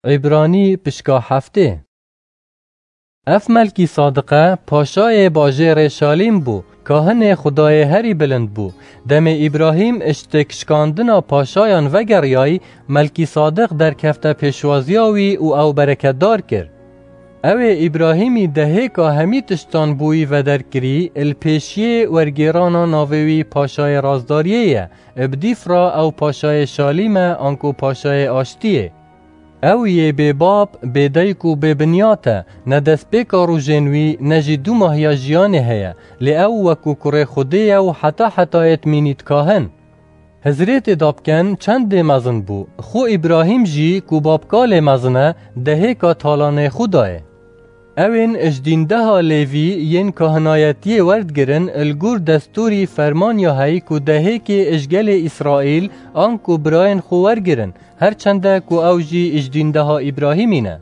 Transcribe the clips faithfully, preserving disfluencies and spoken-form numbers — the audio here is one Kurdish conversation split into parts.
Îbranî pişka heftê. Ev Melkîsadiqe paşayê bajêrê Şalîm bû, kahinê Xudayê herî bilind bû. Demê Îbrahîm ji têkşikandina paşayan vegeriyayî, Melkîsadiq derkefte pêşwaziya wî û ew bereketdar kir. Ew ê Îbrahîmî dehêka hemî tiştan bi wî vederkirî, li pêşiyê wergêrana navê wî paşayê razdariyê ye, bi dîf re ew paşayê Şalîm e anku paşayê aştiyê. Ew yê bêbab, bêdayik û bêbinyat e, ne destpêka rojên wî, ne jî du mahiya jiyanê heye, lê ew wekû kurê Xwedê ye û heta hetayê dimînî dikahin. Hizrê tê da bikin çendê mezin bû, xwe Îbrahîm jî ku babkalê mezin e, dehêka talanê xwe dayê. Ewên ji dîndeha Lêvî yên kahinayetiyê werdigirin, li gor destûrî ferman ya heyî ku dehêkê ji gelê Îsraîl an ku birayên xwe wergirin, her çende ku ew jî ji dîndeha Îbrahîmî ne.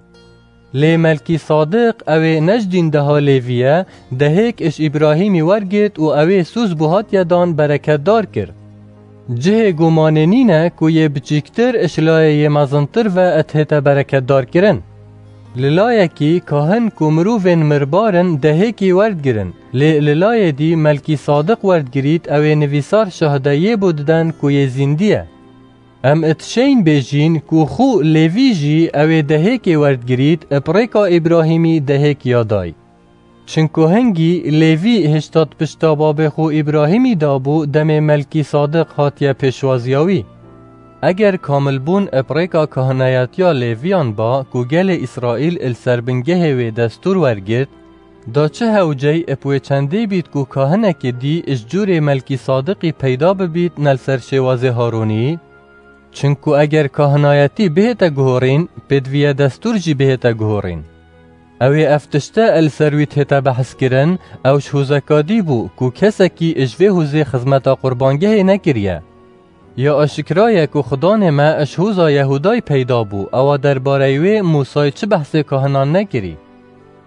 Lê Melkîsadiq, ew ê ne ji dîndeha Lêvî ye, dehêk ji Îbrahîmî wergirt û ew ê soz bû hatiye dan bereketdar kir. Cihê gumanê nîne ku yê biçîktir ji layê yê mezintir ve dihête bereketdarkirin. Li layekî kahin ku mirovên mirbar in dehêkî werdigirin, lê li layê dî Melkîsadiq werdigirît ew ê nivîsar şahideyê bo diden ku yê zîndî ye. Em dişên bêjîn ku xwe Lêvî jî ew ê dehêkê werdigirît, bi rêka Îbrahîmî dehêk ya dayî. Çinku hingî Lêvî hişta di pişta babê xwe Îbrahîmî de bû demê Melkîsadiq hatiye pêşwaziya wî. Eger kamilbûn bi rêka kahinayetiya Lêviyan ba ku gelê Îsraîl li ser bingehê wê destûr wergirt, da çi hewcey bi wê çendê bît ku kahinekê dî ji cûrê Melkîsadiqî peyda bibît ne li ser şêwazê Harûnî? Çinku eger kahinayetî bihête guhorîn, pêdiviye destûr jî bihête guhorîn. Ew ê ev tişte li ser wî dihête behskirin, ew ji hozeka dî bû ku kesekî ji vê hozê xizmeta qurbangehê nekiriye. Ya aşikra ye ku Xudanê me ji hoza Yehûdayî peyda bû, ewa derbareyê wê Mûsayî çi behsê kahinan nekirî.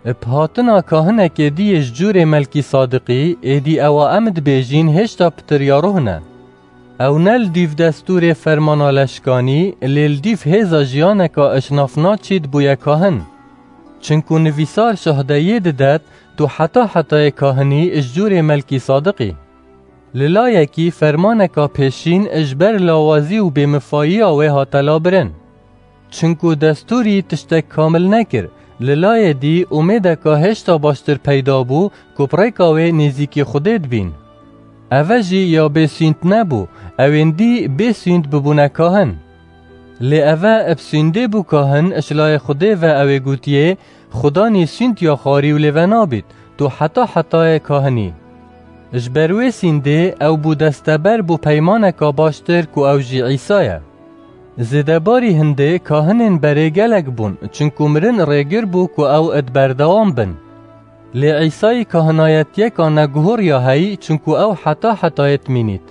Bi hatina kahinekê dî yê ji cûrê Melkîsadiqî, êdî ewa em dibêjîn hêşta pitir ya ruh ne. Ew ne li dîv destûrê fermana leşkanî, lê li dîv hêza jiyaneka ji nav naçît bûye kahin. Çinku nivîsar şahdeyê didet, tu heta hetayê kahinî ji cûrê Melkîsadiqî. Li layekî fermaneka pêşîn ji ber lawazî û bêmifayiya wê hate labirin. Çinku destûrî tiştek kamil nekir, li layê dî umêdeka hêşta baştir peyda bû ku bi rêka wê nêzîkî Xwedê dibîn. Eve jî ya bê sûnd nebû, ewên dî bê sûnd bibûne kahin. Lê eve bi sûndê bû kahin, ji layê Xwedê ve ew ê gotiyê, Xudanî sûnd ya xwarî û lê venabît, tu heta hetayê kahinî. Ji ber wê sûndê ew bû desteber bo peymaneka baştir ku ew jî Îsa ye. Zêdebarî hindê kahinên berê gelek bûn, çinku mirin rêgir bû ku ew id berdewam bin. Lê Îsayî kahinayetiyeka neguhor ya heyî, çinku ew heta hetayê dimînît.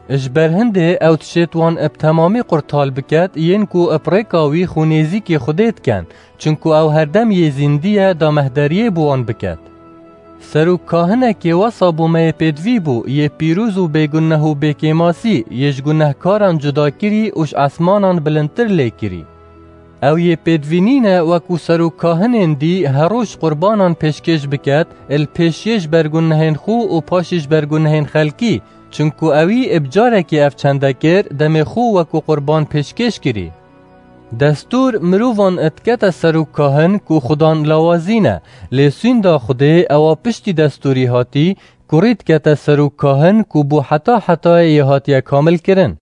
Ji ber hindê ew dişêt wan bi temamî qurtal biket, yên ku bi rêka wî xwe nêzîkî Xwedê dikin, çinku ew herdem yê zîndî ye, da mehderiyê bi wan biket. Serok kahinekê wesa bo me yê pêdivî bû, yê pîroz û bêguneh û bêkêmasî, yê ji gunehkaran cuda kirî û ji esmanan bilindtir lê kirî. Ew yê pêdivî nîne wekû serok kahinên dî her roj qurbanan pêşkêş biket, li pêşiyê ji ber gunehên xwe û paşî ji ber gunehên xelkî, çinku ewî bi carekê ev çende kir, demê xwe wekû qurban pêşkêş kirî. Destûr mirovan dikete serok kahin ku Xudan lawazîne, lê sûnda Xwedê ewa piştî destûrî hatî, kurî dikete serok kahin ku bû heta hetayê yê hatiye kamilkirin.